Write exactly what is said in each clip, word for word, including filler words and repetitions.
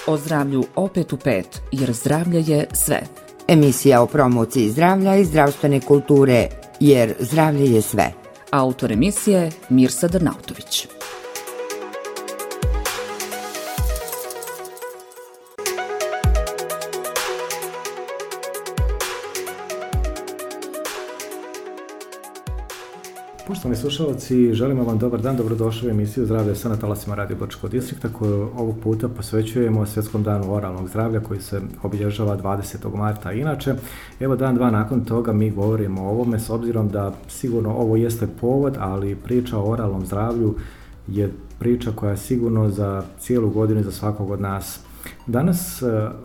O zdravlju opet u pet, jer zdravlje je sve. Emisija o promociji zdravlja i zdravstvene kulture, jer zdravlje je sve. Autor emisije Mirsa Drnautović. Poštovani slušalci, želimo vam dobar dan, dobrodošli u emisiju Zdravlje sve na talasima Radio Brčkog distrikta koju ovog puta posvećujemo Svjetskom danu oralnog zdravlja koji se obilježava dvadesetog marta. Inače, evo dan dva nakon toga mi govorimo o ovome s obzirom da sigurno ovo jeste povod, ali priča o oralnom zdravlju je priča koja je sigurno za cijelu godinu i za svakog od nas. Danas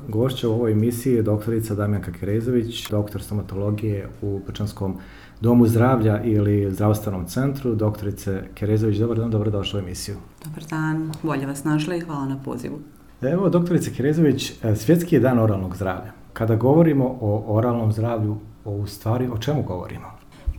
gošća u ovoj emisiji je doktorica Damjanka Kerezović, doktor stomatologije u Brčanskom domu zdravlja ili zdravstvenom centru. Doktorice Kerezović, dobar dan, dobrodošla u emisiju. Dobar dan, bolje vas našla i hvala na pozivu. Evo, doktorice Kerezović, svjetski je dan oralnog zdravlja. Kada govorimo o oralnom zdravlju, u stvari o čemu govorimo?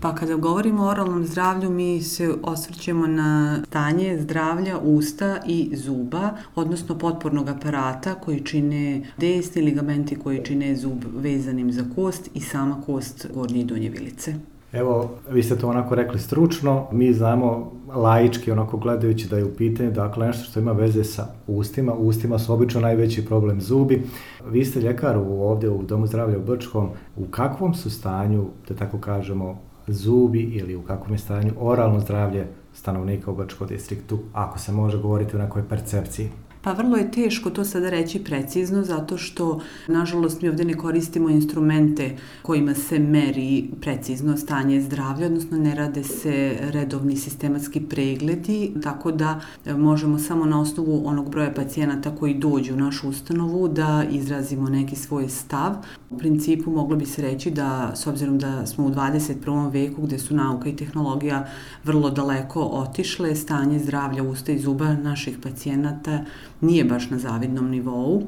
Pa kada govorimo o oralnom zdravlju, mi se osvrćemo na stanje zdravlja usta i zuba, odnosno potpornog aparata koji čine desni ligamenti koji čine zub vezanim za kost i sama kost gornje i donje vilice. Evo, vi ste to onako rekli stručno, mi znamo laički onako gledajući da je u pitanju dakle nešto što ima veze sa ustima. U ustima su obično najveći problem zubi. Vi ste ljekar ovdje u Domu zdravlja u Brčkom. U kakvom su stanju, da tako kažemo, zubi ili u kakvom je stanju oralno zdravlje stanovnika u Brčkom distriktu, ako se može govoriti o nekoj percepciji? Pa vrlo je teško to sada reći precizno zato što, nažalost, mi ovdje ne koristimo instrumente kojima se meri precizno stanje zdravlja, odnosno ne rade se redovni sistematski pregledi, tako da možemo samo na osnovu onog broja pacijenata koji dođu u našu ustanovu da izrazimo neki svoj stav. U principu moglo bi se reći da, s obzirom da smo u dvadeset prvom veku gdje su nauka i tehnologija vrlo daleko otišle, stanje zdravlja usta i zuba naših pacijenata nije baš na zavidnom nivou,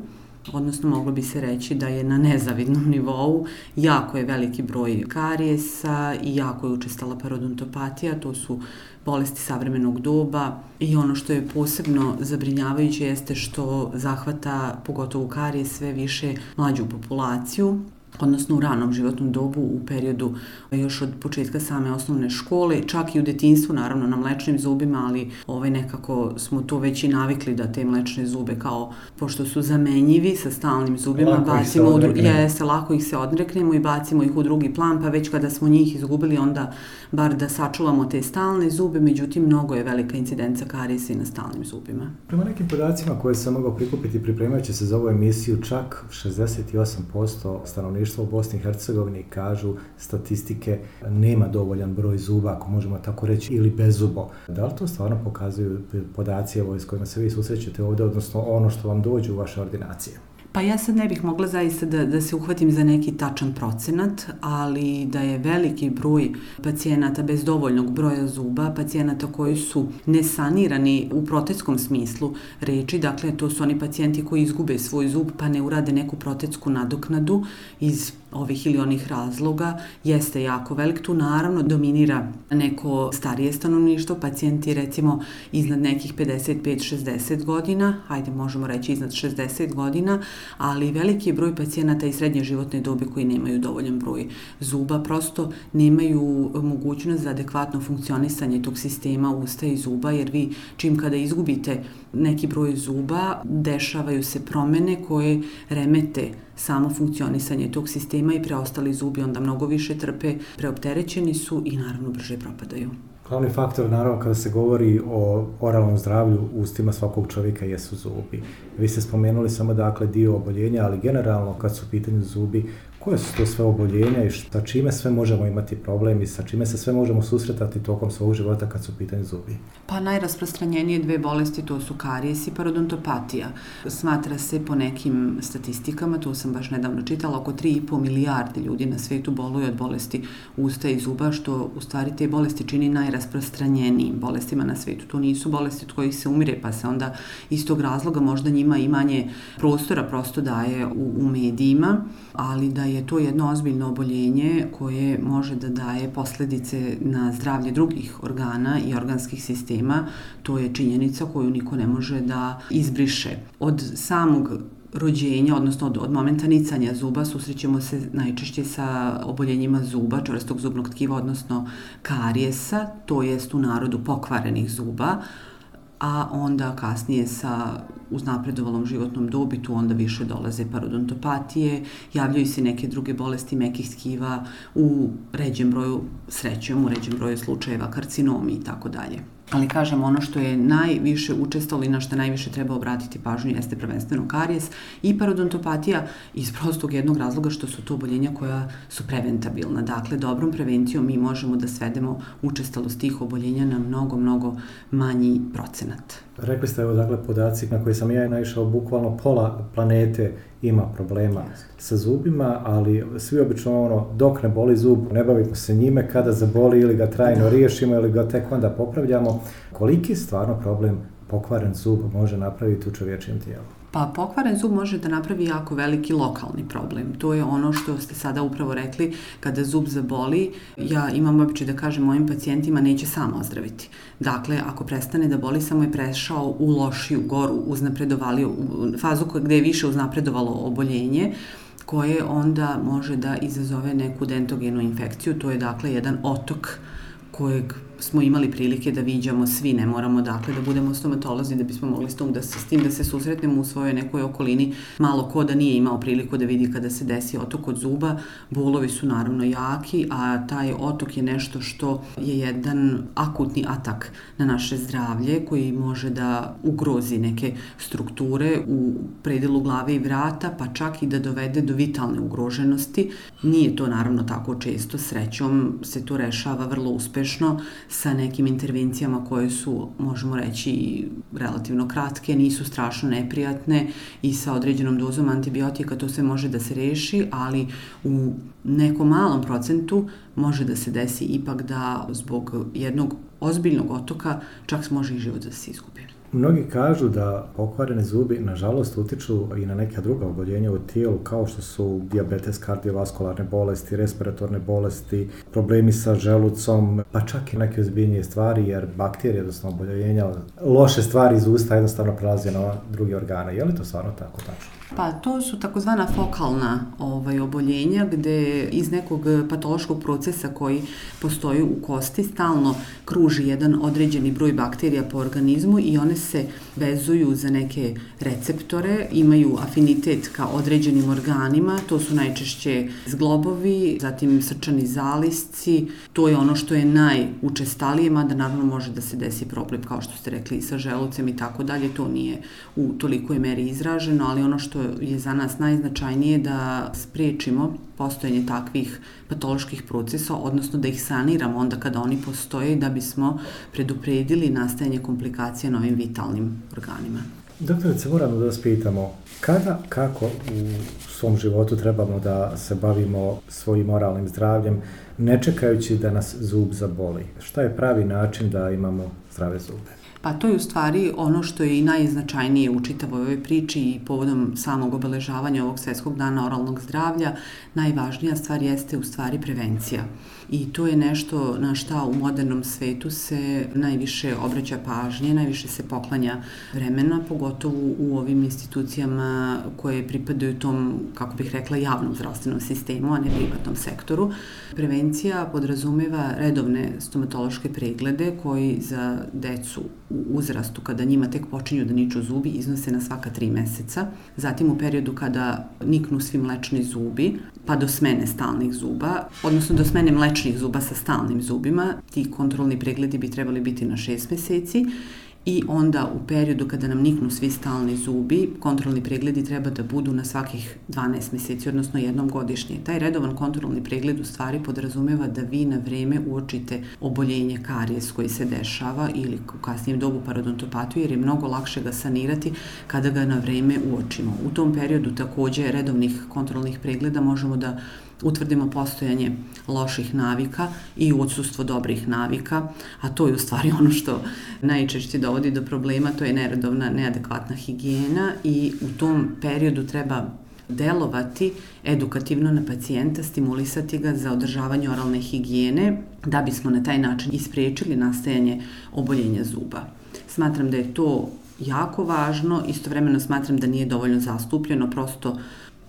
odnosno moglo bi se reći da je na nezavidnom nivou. Jako je veliki broj karijesa i jako je učestala parodontopatija, to su bolesti savremenog doba i ono što je posebno zabrinjavajuće jeste što zahvata pogotovo karijes sve više mlađu populaciju, odnosno u ranom životnom dobu u periodu još od početka same osnovne škole, čak i u detinjstvu naravno na mlečnim zubima, ali ovaj nekako smo to već i navikli da te mlečne zube kao, pošto su zamenjivi sa stalnim zubima, lako bacimo u drugi, jeste, lako ih se odreknemo i bacimo ih u drugi plan, pa već kada smo njih izgubili onda bar da sačuvamo te stalne zube, međutim mnogo je velika incidenca karijesa i na stalnim zubima. Prema nekim podacima koje sam mogao prikupiti pripremajući se za ovu emisiju, čak šezdeset osam posto stanovništva u Bosni i Hercegovini kažu statistike nema dovoljan broj zuba, ako možemo tako reći, ili bezubo. Da li to stvarno pokazuju podaci evo, s kojima se vi susrećete ovdje, odnosno ono što vam dođe u vaše ordinacije? Pa ja sad ne bih mogla zaista da, da se uhvatim za neki tačan procenat, ali da je veliki broj pacijenata bez dovoljnog broja zuba, pacijenata koji su nesanirani u protetskom smislu reči, dakle to su oni pacijenti koji izgube svoj zub pa ne urade neku protetsku nadoknadu iz ovih ili onih razloga, jeste jako velik. Tu naravno dominira neko starije stanovništvo, pacijenti recimo iznad nekih pedeset pet šezdeset godina, hajde možemo reći iznad šezdeset godina, ali veliki je broj pacijenata i srednje životne dobi koji nemaju dovoljan broj zuba, prosto nemaju mogućnost za adekvatno funkcionisanje tog sistema usta i zuba, jer vi čim kada izgubite neki broj zuba, dešavaju se promene koje remete samo funkcionisanje tog sistema i preostali zubi onda mnogo više trpe, preopterećeni su i naravno brže propadaju. Glavni faktor, naravno, kada se govori o oralnom zdravlju u ustima svakog čovjeka jesu zubi. Vi ste spomenuli samo dakle dio oboljenja, ali generalno kad su u pitanju zubi, koje su to sve oboljenja i sa čime sve možemo imati problem i sa čime se sve možemo susretati tokom svog života kad su u pitanju zubi? Pa najrasprostranjenije dve bolesti to su karijes i parodontopatija. Smatra se po nekim statistikama, to sam baš nedavno čitala, oko tri i po milijarde ljudi na svijetu boluje od bolesti usta i zuba, što u stvari te bolesti čini najrasprostranjenijim bolestima na svijetu. To nisu bolesti od kojih se umire, pa se onda iz tog razloga možda njima i manje prostora prosto daje u, u medijima, ali da je to jedno ozbiljno oboljenje koje može da daje posljedice na zdravlje drugih organa i organskih sistema, to je činjenica koju niko ne može da izbriše. Od samog rođenja, odnosno od, od momenta nicanja zuba, susrećemo se najčešće sa oboljenjima zuba, čvrstog zubnog tkiva, odnosno karijesa, to jest u narodu pokvarenih zuba, a onda kasnije sa uznapredovalom životnom dobi tu onda više dolaze parodontopatije, javljaju se neke druge bolesti mekih tkiva, u ređem broju, srećom, u ređem broju slučajeva karcinomi i tako dalje. Ali kažem, ono što je najviše učestalo i na što najviše treba obratiti pažnju jeste prvenstveno karijes i parodontopatija iz prostog jednog razloga što su to oboljenja koja su preventabilna. Dakle, dobrom prevencijom mi možemo da svedemo učestalost tih oboljenja na mnogo, mnogo manji procenat. Rekli ste, evo, dakle, podaci na koje sam ja naišao, bukvalno pola planete ima problema sa zubima, ali svi obično ono, dok ne boli zub, ne bavimo se njime, kada zaboli ili ga trajno riješimo ili ga tek onda popravljamo. Koliki stvarno problem pokvaren zub može napraviti u čovječijem tijelu? Pa pokvaren zub može da napravi jako veliki lokalni problem. To je ono što ste sada upravo rekli, kada zub zaboli, ja imam običaj da kažem mojim pacijentima neće sam ozdraviti. Dakle, ako prestane da boli, samo je prešao u lošiju, goru, uznapredovaliju, fazu gde je više uznapredovalo oboljenje, koje onda može da izazove neku dentogenu infekciju. To je dakle jedan otok kojeg smo imali prilike da viđamo svi, ne moramo dakle da budemo stomatolozi da bismo mogli s, tom da se, s tim da se susretnemo u svojoj nekoj okolini. Malo ko da nije imao priliku da vidi kada se desi otok od zuba. Bolovi su naravno jaki, a taj otok je nešto što je jedan akutni atak na naše zdravlje koji može da ugrozi neke strukture u predelu glave i vrata, pa čak i da dovede do vitalne ugroženosti. Nije to naravno tako često, srećom se to rešava vrlo uspešno sa nekim intervencijama koje su, možemo reći, relativno kratke, nisu strašno neprijatne i sa određenom dozom antibiotika to sve može da se reši, ali u nekom malom procentu može da se desi ipak da zbog jednog ozbiljnog otoka čak može i život da se izgubi. Mnogi kažu da pokvarene zubi nažalost utiču i na neka druga oboljenja u tijelu kao što su dijabetes, kardiovaskularne bolesti, respiratorne bolesti, problemi sa želucom, pa čak i neke ozbiljnije stvari jer bakterije, odnosno oboljenja, loše stvari iz usta jednostavno prelaze na druge organe. Je li to stvarno tako tačno? Pa to su takozvana fokalna ovaj, oboljenja gde iz nekog patološkog procesa koji postoji u kosti stalno kruži jedan određeni broj bakterija po organizmu i one se vezuju za neke receptore, imaju afinitet ka određenim organima, to su najčešće zglobovi, zatim srčani zalisci, to je ono što je najučestalije, mada naravno može da se desi problem, kao što ste rekli, sa želucem i tako dalje, to nije u tolikoj meri izraženo, ali ono što je za nas najznačajnije da sprečimo postojanje takvih patoloških procesa, odnosno da ih saniramo onda kada oni postoje da bismo predupredili nastajanje komplikacija na ovim vitalnim organima. Doktorice, moramo da vas pitamo, kada, kako u svom životu trebamo da se bavimo svojim moralnim zdravljem, ne čekajući da nas zub zaboli? Šta je pravi način da imamo zdrave zube? Pa to je u stvari ono što je i najznačajnije u čitavoj ovoj priči i povodom samog obeležavanja ovog Svetskog dana oralnog zdravlja. Najvažnija stvar jeste u stvari prevencija. I to je nešto na šta u modernom svetu se najviše obraća pažnje, najviše se poklanja vremena, pogotovo u ovim institucijama koje pripadaju tom, kako bih rekla, javnom zdravstvenom sistemu, a ne privatnom sektoru. Prevencija podrazumeva redovne stomatološke preglede koji za decu u uzrastu kada njima tek počinju da niču zubi iznose na svaka tri meseca. Zatim u periodu kada niknu svi mlečni zubi, pa do smene stalnih zuba, odnosno do smene mlečnih zuba sa stalnim zubima, ti kontrolni pregledi bi trebali biti na šest meseci. I onda u periodu kada nam niknu svi stalni zubi, kontrolni pregledi treba da budu na svakih dvanaest meseci, odnosno jednom godišnje. Taj redovan kontrolni pregled u stvari podrazumeva da vi na vreme uočite oboljenje karijes koji se dešava ili u kasnijem dobu parodontopatiju, jer je mnogo lakše ga sanirati kada ga na vreme uočimo. U tom periodu takođe redovnih kontrolnih pregleda možemo da utvrdimo postojanje loših navika i odsustvo dobrih navika, a to je u stvari ono što najčešće dovodi do problema, to je neredovna, neadekvatna higijena i u tom periodu treba delovati edukativno na pacijenta, stimulisati ga za održavanje oralne higijene da bismo na taj način isprečili nastajanje oboljenja zuba. Smatram da je to jako važno, istovremeno smatram da nije dovoljno zastupljeno, prosto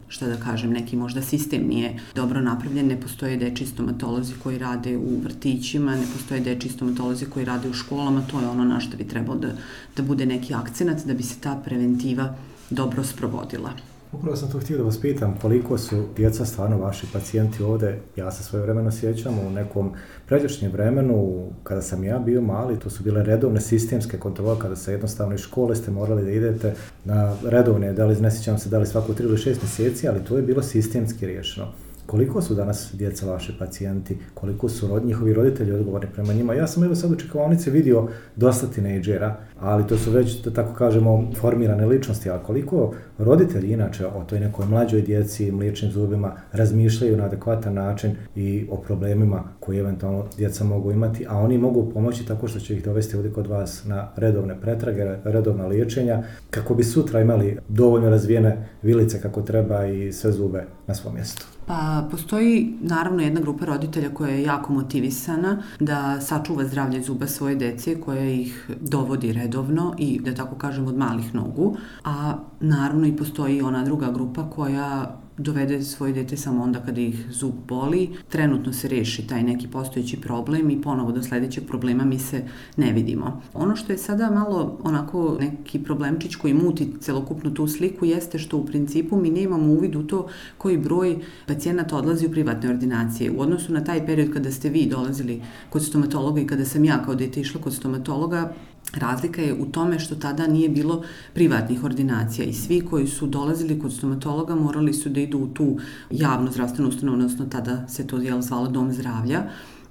šta da kažem, neki možda sistem nije dobro napravljen, ne postoje dečji stomatolozi koji rade u vrtićima, ne postoje dečji stomatolozi koji rade u školama, to je ono na što bi trebao da, da bude neki akcenat, da bi se ta preventiva dobro sprovodila. Upravo sam to htio da vas pitam, koliko su djeca stvarno vaši pacijenti ovde. Ja se svoje vremeno sjećam u nekom pređašnjem vremenu, kada sam ja bio mali, to su bile redovne sistemske kontrole, kada se jednostavno iz škole ste morali da idete na redovne, da li ne sjećam se da li svako tri ili šest mjeseci, ali to je bilo sistemski riješeno. Koliko su danas djeca vaši pacijenti, koliko su rod, njihovi roditelji odgovorni prema njima? Ja sam evo sad u čekaonici vidio dosta tinejdžera, ali to su već, da tako kažemo, formirane ličnosti, a koliko roditelji inače o toj nekoj mlađoj djeci, mliječnim zubima, razmišljaju na adekvatan način i o problemima koje eventualno djeca mogu imati, a oni mogu pomoći tako što će ih dovesti ovdje kod vas na redovne pretrage, redovna liječenja, kako bi sutra imali dovoljno razvijene vilice kako treba i sve zube na svom mjestu. Pa postoji naravno jedna grupa roditelja koja je jako motivisana da sačuva zdravlje zuba svoje dece, koja ih dovodi redovno i da tako kažem od malih nogu, a naravno i postoji ona druga grupa koja dovede svoje dete samo onda kada ih zub boli, trenutno se reši taj neki postojeći problem i ponovo do sljedećeg problema mi se ne vidimo. Ono što je sada malo onako neki problemčić koji muti celokupnu tu sliku jeste što u principu mi nemamo uvid u to koji broj pacijenata odlazi u privatne ordinacije. U odnosu na taj period kada ste vi dolazili kod stomatologa i kada sam ja kao dete išla kod stomatologa, razlika je u tome što tada nije bilo privatnih ordinacija i svi koji su dolazili kod stomatologa morali su da idu u tu javnu zdravstvenu ustanovu, odnosno tada se to jel zvalo dom zdravlja.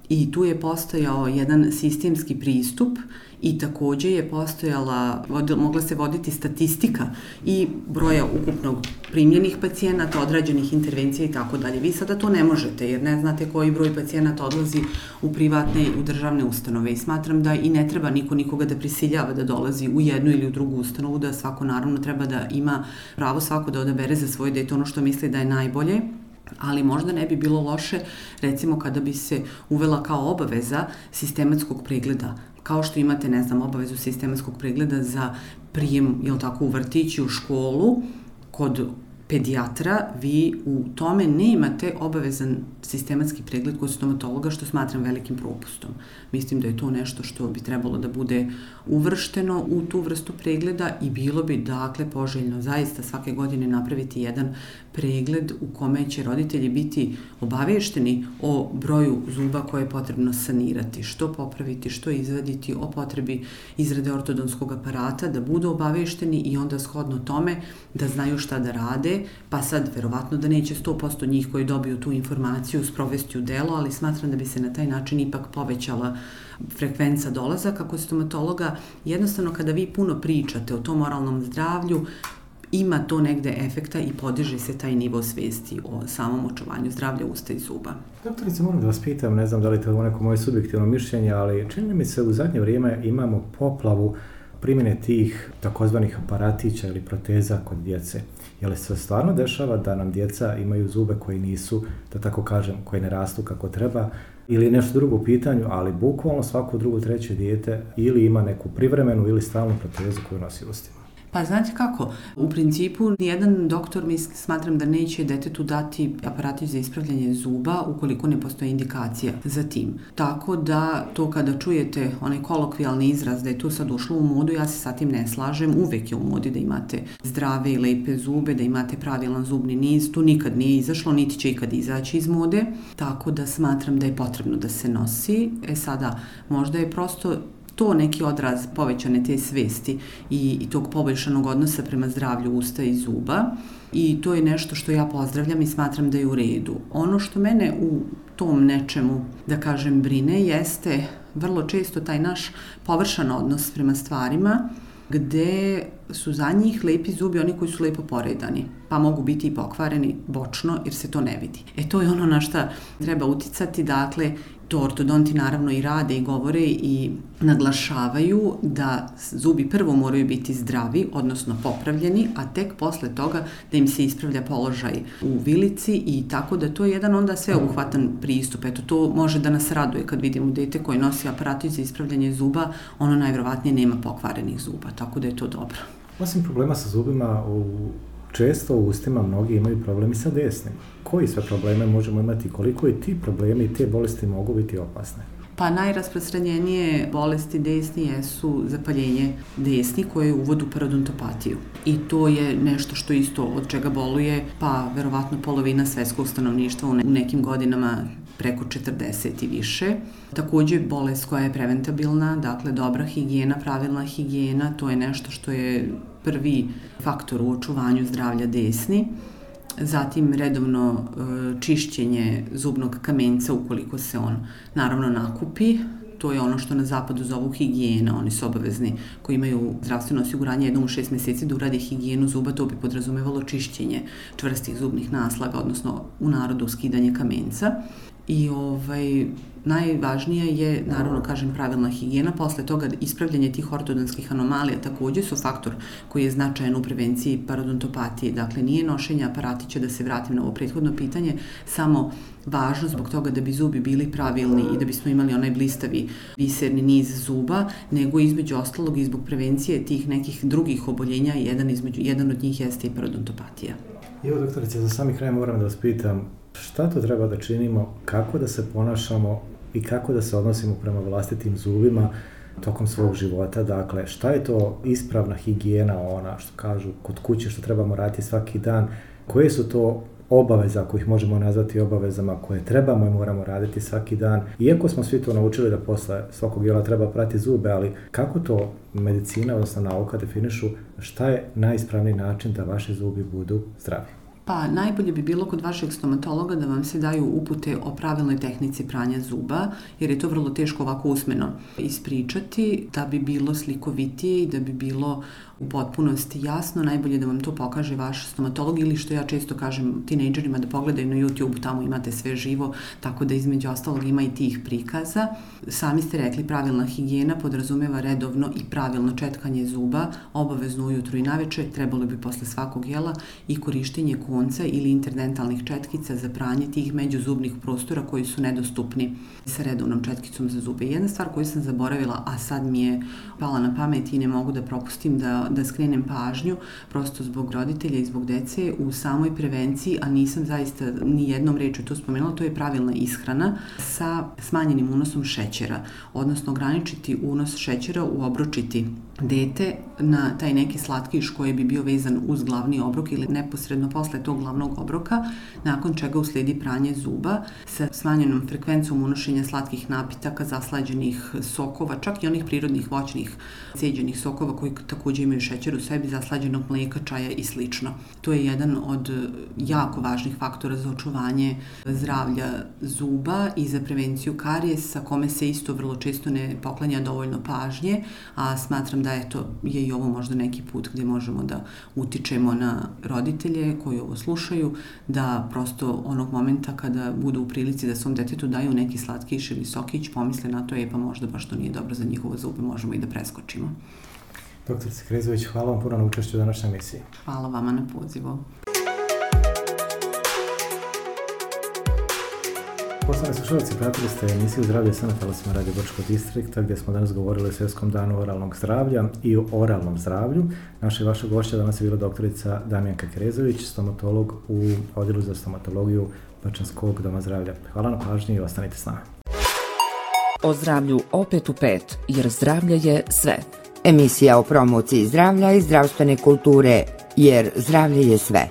I tu je postojao jedan sistemski pristup i također je postojala, mogla se voditi statistika i broja ukupnog primljenih pacijenata, odrađenih intervencija i tako dalje. Vi sada to ne možete jer ne znate koji broj pacijenata odlazi u privatne i u državne ustanove i smatram da i ne treba niko nikoga da prisiljava da dolazi u jednu ili u drugu ustanovu, da svako naravno treba da ima pravo svako da odabere za svoje dete ono što misli da je najbolje. Ali možda ne bi bilo loše, recimo, kada bi se uvela kao obaveza sistematskog pregleda. Kao što imate, ne znam, obavezu sistematskog pregleda za prijem, jel tako, u vrtić i u školu, kod pedijatra, vi u tome nemate obavezan sistematski pregled kod stomatologa, što smatram velikim propustom. Mislim da je to nešto što bi trebalo da bude uvršteno u tu vrstu pregleda i bilo bi, dakle, poželjno zaista svake godine napraviti jedan pregled u kome će roditelji biti obavešteni o broju zuba koje je potrebno sanirati, što popraviti, što izvaditi, o potrebi izrade ortodonskog aparata, da budu obavešteni i onda shodno tome da znaju šta da rade, pa sad verovatno da neće sto posto njih koji dobiju tu informaciju sprovesti u delo, ali smatram da bi se na taj način ipak povećala frekvenca dolazaka kod stomatologa. Jednostavno kada vi puno pričate o tom oralnom zdravlju, ima to negde efekta i podiže se taj nivo svesti o samom očuvanju zdravlja usta i zuba. Doktorice, moram da vas pitam, ne znam da li to je neko moje subjektivno mišljenje, ali čini mi se u zadnje vrijeme imamo poplavu primjene tih takozvanih aparatića ili proteza kod djece. Je li se stvarno dešava da nam djeca imaju zube koji nisu, da tako kažem, koji ne rastu kako treba, ili je nešto drugo u pitanju, ali bukvalno svako drugo, treće dijete ili ima neku privremenu ili stalnu protezu koju nosi u ustima? Pa znate kako, u principu nijedan doktor mi smatram da neće detetu dati aparatić za ispravljanje zuba ukoliko ne postoji indikacija za tim. Tako da to kada čujete onaj kolokvijalni izraz da je to sad ušlo u modu, ja se sa tim ne slažem. Uvek je u modi da imate zdrave i lepe zube, da imate pravilan zubni niz. To nikad nije izašlo, niti će ikad izaći iz mode. Tako da smatram da je potrebno da se nosi. E sada, možda je prosto to neki odraz povećane te svesti i, i tog poboljšanog odnosa prema zdravlju usta i zuba i to je nešto što ja pozdravljam i smatram da je u redu. Ono što mene u tom nečemu, da kažem, brine jeste vrlo često taj naš površan odnos prema stvarima gde su za njih lepi zubi oni koji su lepo poredani, pa mogu biti i pokvareni bočno jer se to ne vidi. E to je ono na šta treba uticati, dakle To ortodonti naravno i rade i govore i naglašavaju da zubi prvo moraju biti zdravi, odnosno popravljeni, a tek posle toga da im se ispravlja položaj u vilici i tako da to je jedan onda sveobuhvatan pristup. Eto, to može da nas raduje kad vidimo dete koje nosi aparatić za ispravljanje zuba, ono najverovatnije nema pokvarenih zuba, tako da je to dobro. Osim problema sa zubima, u, često u ustima mnogi imaju problemi sa desnim. Koji sve probleme možemo imati, koliko i ti problemi i te bolesti mogu biti opasne? Pa najrasprostranjenije bolesti desni jesu zapaljenje desni koje uvode u parodontopatiju. I to je nešto što isto od čega boluje, pa verovatno polovina svetskog stanovništva u nekim godinama preko četrdeset i više. Takođe bolest koja je preventabilna, dakle dobra higijena, pravilna higijena, to je nešto što je prvi faktor u očuvanju zdravlja desni. Zatim redovno čišćenje zubnog kamenca ukoliko se on naravno nakupi. To je ono što na zapadu zovu higijena. Oni su obavezni koji imaju zdravstveno osiguranje jednom u šest meseci da urade higijenu zuba. To bi podrazumevalo čišćenje čvrstih zubnih naslaga, odnosno u narodu skidanje kamenca. I ovaj, najvažnije je, naravno, kažem, pravilna higijena. Posle toga ispravljanje tih ortodontskih anomalija takođe su faktor koji je značajan u prevenciji parodontopatije. Dakle, nije nošenje aparatića, da se vratim na ovo prethodno pitanje, samo važno zbog toga da bi zubi bili pravilni i da bismo imali onaj blistavi biserni niz zuba, nego između ostalog i zbog prevencije tih nekih drugih oboljenja, jedan, između, jedan od njih jeste i parodontopatija. Evo, doktorice, za sami kraj moram da vas pitam, šta to treba da činimo, kako da se ponašamo i kako da se odnosimo prema vlastitim zubima tokom svog života? Dakle, šta je to ispravna higijena, ona što kažu kod kuće što trebamo raditi svaki dan? Koje su to obaveze, ako ih možemo nazvati obavezama, koje trebamo i moramo raditi svaki dan? Iako smo svi to naučili da posle svakog jela treba prati zube, ali kako to medicina, odnosno nauka definišu, šta je najispravniji način da vaši zubi budu zdravi? Pa najbolje bi bilo kod vašeg stomatologa da vam se daju upute o pravilnoj tehnici pranja zuba, jer je to vrlo teško ovako usmeno ispričati, da bi bilo slikovitije i da bi bilo u potpunosti jasno. Najbolje da vam to pokaže vaš stomatolog ili, što ja često kažem tinejdžerima, da pogledaju na YouTube, tamo imate sve živo, tako da između ostalog ima i tih prikaza. Sami ste rekli, pravilna higijena podrazumeva redovno i pravilno četkanje zuba, obavezno ujutru i naveče, trebalo bi posle svakog jela, i korištenje konca ili interdentalnih četkica za pranje tih međuzubnih prostora koji su nedostupni sa redovnom četkicom za zube. Jedna stvar koju sam zaboravila, a sad mi je pala na pamet i ne mogu da propustim da, da skrenem pažnju, prosto zbog roditelja i zbog dece, u samoj prevenciji, a nisam zaista ni jednom rečju to spomenula, to je pravilna ishrana sa smanjenim unosom šećera, odnosno ograničiti unos šećera, uobročiti dete na taj neki slatkiš koji bi bio vezan uz glavni obrok ili neposredno posle tog glavnog obroka, nakon čega usledi pranje zuba sa smanjenom frekvencom unošenja slatkih napitaka, zaslađenih sokova, čak i onih prirodnih voćnih ceđenih sokova koji takođe imaju šećer u sebi, zaslađenog mleka, čaja i slično. To je jedan od jako važnih faktora za očuvanje zdravlja zuba i za prevenciju karijesa, kome se isto vrlo često ne poklanja dovoljno pažnje, a smatram da eto, je i ovo možda neki put gdje možemo da utičemo na roditelje koji ovo slušaju, da prosto onog momenta kada budu u prilici da svom detetu daju neki slatkiš ili sokić, pomisle na to, je pa možda baš to nije dobro za njihovo zube, možemo i da preskočimo. Doktorice Krezović, hvala vam puno na učešću u današnjoj emisiji. Hvala vama na pozivu. Poštovani slušalci, pratili ste emisiju Zdravlje sa na talasima Radio Brčkog distrikta, gdje smo danas govorili o Svjetskom danu oralnog zdravlja i o oralnom zdravlju. Naša i vaša gošća danas je bila doktorica Damijanka Krezović, stomatolog u Odjelu za stomatologiju Bačanskog doma zdravlja. Hvala na pažnji i ostanite s nama. O zdravlju opet u pet, jer zdravlje je sve. Emisija o promociji zdravlja i zdravstvene kulture, jer zdravlje je sve.